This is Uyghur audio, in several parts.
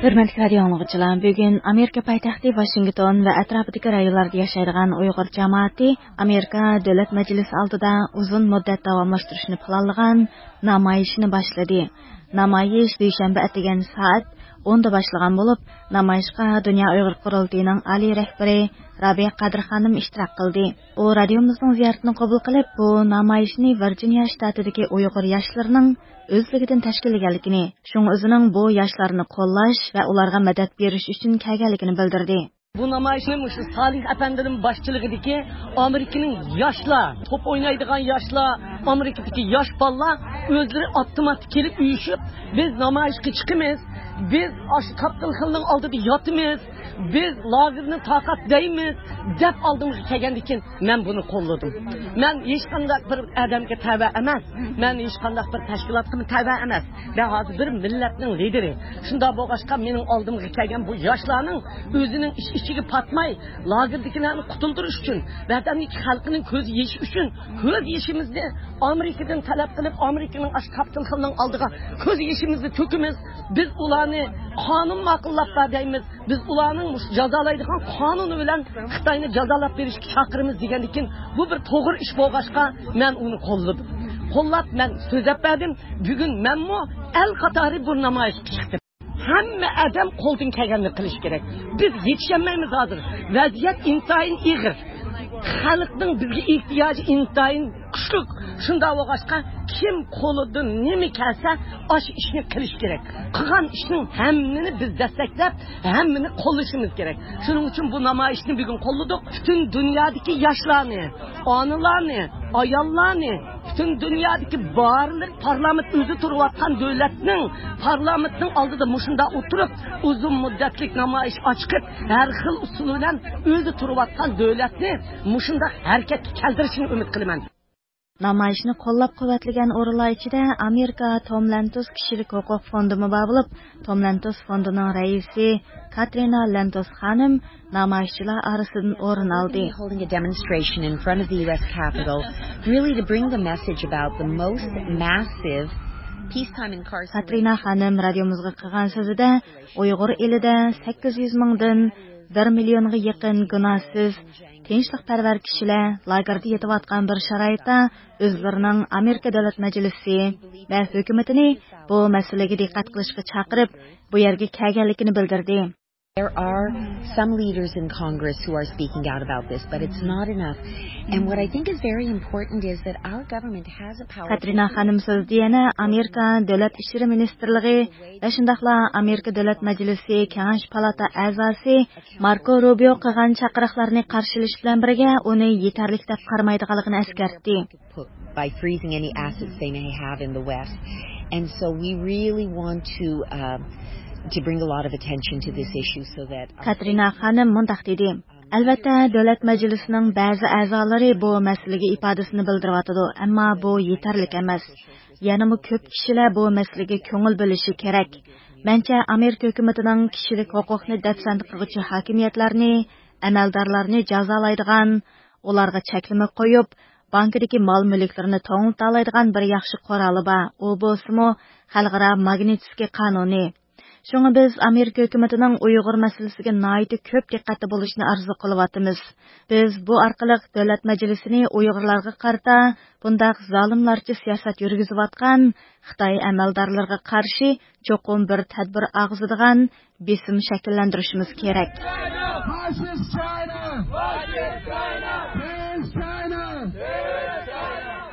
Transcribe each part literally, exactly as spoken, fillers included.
Hürmetli radyo anglagıçılar, bugün Amerika paytaxtı Washington ve etrafındaki rayonlarda yaşaydigan Uygur cemaati Amerika Devlet Meclisi aldida uzun müddet davamlaştırışını planlagan namayışını başladı. Namayış duşenbe etegen saat onda başlagan bolup, namayışqa Dünya Uygur Qurultayınıñ aliy rehberi Rabiya Qadir xanım iştirak qıldı. U radiomızdıñ ziyaretini qabul qılıp, bu namayışnı Virjiniya ştatidagi Uygur yaşlarınıñ özlügiden teşkillegenligini, şuñ özüniñ bu yaşlarını qollaş ve ularğa medet beriş içün kelgenligini bildirdi. Bu namayışnı şu Salih Efendi'nin başçılığındaki Amerika'nıñ yaşlar, top oynaydigan yaşlar, Amerika'daki yaş balalar özleri avtomat kelip üyüşip, biz namayışqa çıqımız, biz aş kaptıl xılnıñ aldıda yatımız, biz lagerni taqat deymiz, dep aldımızğa kelgendikin, men buni qolladım. Men hech qandaq bir odamga tava emas. Men hech qandaq bir tashkilotga tava emas. Men hozir bir millatning lideri. Shundoq bo'lg'achqa, mening oldimga kelgan bu yoshlarning o'zining ich-ichiga patmay, lagerdagilarni qutuldirish uchun, vatanniki xalqining ko'z yeshi uchun, ko'z yeshimizni Amerikadan talab qilib, Amerikaning ash kaptılxilning oldiga ko'z yeshimizni to'kimiz. Biz ularni qonun ma'qullab ber deymiz. Biz ularning mush-, jazolaydigan qonuni bilan Xitoyni jazolab berishga chaqiramiz degandan keyin, bu bir to'g'ri ish bo'lg'achqa, men uni qo'lladim. Qo'llab, men so'zlab berdim. Bugun menmu el qatori bu namoyishga chiqdim. Hamma odam qo'ldan kelganini qilish kerak. Biz yetisholmaymiz hozir. Vaziyat intayin ig'ir. Xalqning bizga ehtiyoji intayin kuchli. Shundoq bo'lg'achqa, kim qo'lidan nima kelsa, osh ishni qilish kerak. Qilgan ishning hammini biz dastaklab, hammani qo'llashimiz kerak. Shuning uchun bu namoyishni bugun qo'lladik. Butun dunyodagi yoshlarni, onalarni, ayollarni, butun dunyodagi barliq parlament o'zi turayotgan davlatning parlamentning oldida mushunda o'tirib, uzun muddatlik namoyish ochqib, har xil usul bilan o'zi turayotgan davlatni mushunda harakatga keltirishini umid qilaman. Namoyishni qo'llab-quvvatlagan o'rinlar ichida Amerika Tom Lentos kishilik huquq fondimi bor bo'lib, Tom Lentos fondining raisi Katrina Lentos xonim namoyishchilar orasidan o'rin oldi. Holding a demonstration in front of the U S Capitol, really to bring the message about the most massive peacetime incarceration. Katrina xonim radiomizga qilgan so'zida Uyg'ur elida sakkiz yuz mingdan bir millionga yaqin gunohsiz tinchlikparvar kishilar lagerda yetayotgan bir sharoitda o'zlarining Amerika Davlat Majlisi va hukumatini bu masalaga diqqat qilishga chaqirib, bu yerga kelganligini bildirdi. There are some leaders in Congress who are speaking out about this, but it's not enough. And what I think is very important is that our government has a power. Katrina xonim so'zida yana Amerika Davlat ishlari ministrligi va shundoqla Amerika Davlat Majlisi Kengash palata a'zosi Marko Rubio qilgan chaqiriqlarni qarshi olish bilan birga uni yetarli deb qaramaydiganligini eskartdi. By freezing any assets they may have in the West. And so we really want to, uh, to bring a lot of attention to this issue so that Katrina xonim mundoq dedi. Albatta, Davlat Majlisining ba'zi a'zolari bu masalaga ifodasini bildiryotidi, ammo bu yetarli emas. Yanami ko'p kishilar bu masalaga ko'ngil bo'lishi kerak. Mencha, Amerika hukumatining kishilik huquqni dafsand qilg'uchi hokimiyatlarni, amaldorlarni jazolaydigan, ularga cheklama qo'yib, bankidagi mol-mulklarini to'ng'italaydigan bir yaxshi quroli bor. U bo'lsa-mu, xalqaro Magnitskiy qonuni. Shunga biz Amerika hukumatining Uyg'ur masalasiga nihoyatda ko'p diqqatda bo'lishini orzu qilyapmiz. Biz bu orqali Davlat Majlisini Uyg'urlarga qarata bundaq zolimlarcha siyosat yurgizayotgan Xitoy amaldorlariga qarshi cho'qim bir tadbir og'zadigan besim shakllantirishimiz kerak.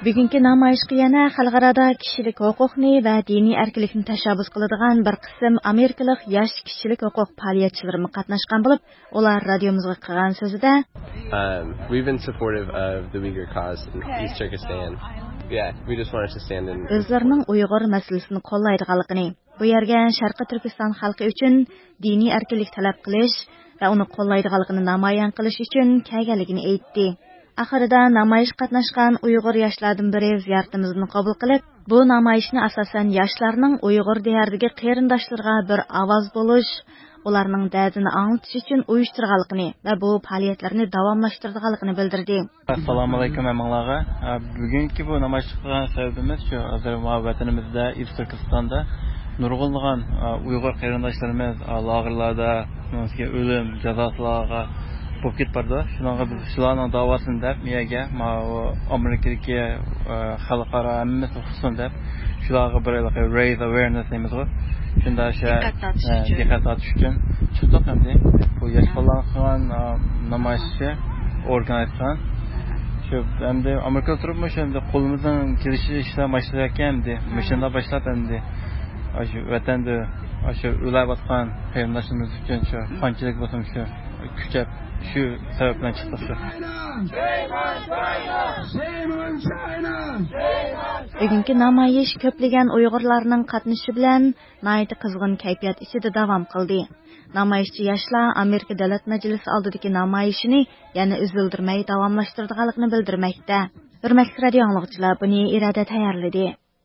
Bugungi namoyishga yana xalqaroda kishilik huquqni va diniy erkinlikni tashabbus qiladigan bir qism amerikalik yosh kishilik huquq faoliyatchilarimi qatnashgan bo'lib, ular radiomizga qilgan so'zida, Um, we've been supportive of the Uyghur cause in East Turkestan. Yeah, we just wanted to stand in. O'zlarining Uyg'ur masalasini qo'llaydiganligini, bu yerga Sharqiy Turkiston xalqi uchun diniy erkinlik talab qilish va uni qo'llaydiganligini namoyon qilish uchun kelganligini aytdi. Oxirida namoyish qatnashgan Uyg'ur yoshlardan biri ziyoratimizni qabul qilib, bu namoyishni asosan yoshlarning Uyg'ur diyoridagi qarindoshlariga bir ovoz bo'lish, ularning dardini anglatish uchun uyushtirganligini va bu faoliyatlarni davomlashtirganligini bildirdi. Assalomu alaykum hammanglarga. Ha, bugungi bu namoyish qilgan sababimiz shu, hozir ma vatanimizda, East Turkistonda نۇرغۇنلىغان، ئا، ئۇيغۇر قېرىنداشلىرىمىز، ئا، لاگېرلاردا، ئۆلۈم جازاسىلارغا بولۇپ كېتىپ بارىدۇ. شۇنىڭغا بىز شۇلارنىڭ داۋاسىنى دەپ، مۇ يەرگە، ماۋۇ ئامېرىكىدىكى، ئا، خەلقئارا ھەممىسى ئۇقسۇن دەپ، شۇلارغا بىر ھېلىقى raise awareness دەيمىزغۇ. شۇنداق شۇ، دىققەت تارتىش ئە، ئۈچۈن. دىققەت تارتىش ئۈچۈن چىقتۇق ئەمدى. بۇ ياش ئاھا. بالىلارنىڭ قىلغان، ئا، نامايىشى ئورگانىز قىلغان. شۇ ئەمدى ئامېرىكىدا تۇرۇپمۇ شۇ ئەمدى قولىمىزدىن كېلىشىچە ئىشلار باشلايدىكەن ئەمدى. ئاھا. مۇشۇنداق باشلاپ ئەمدى. ئاشۇ ۋەتەندە، ئاشۇ ئۆلۈۋاتقان قېرىنداشلىرىمىز ئۈچۈن شۇ قانچىلىك بولسىمۇ شۇ كۈچەپ، شۇ سەۋەب بىلەن چىقتۇق شۇ. بۈگۈنكى نامايىش كۆپلىگەن ئۇيغۇرلارنىڭ قاتنىشىشى بىلەن ناھايىتى قىزغىن كەيپىيات ئىچىدە داۋام قىلدى. نامايىشچى ياشلار ئامېرىكا دۆلەت مەجلىسى ئالدىدىكى نامايىشىنى يەنە ئۈزۈلدۈرمەي داۋاملاشتۇرىدىغانلىقىنى بىلدۈرمەكتە. ھۆرمەتلىك رادىئو ئاڭلىغۇچىلار، بۇنى ئىرادە تەييارلىدى.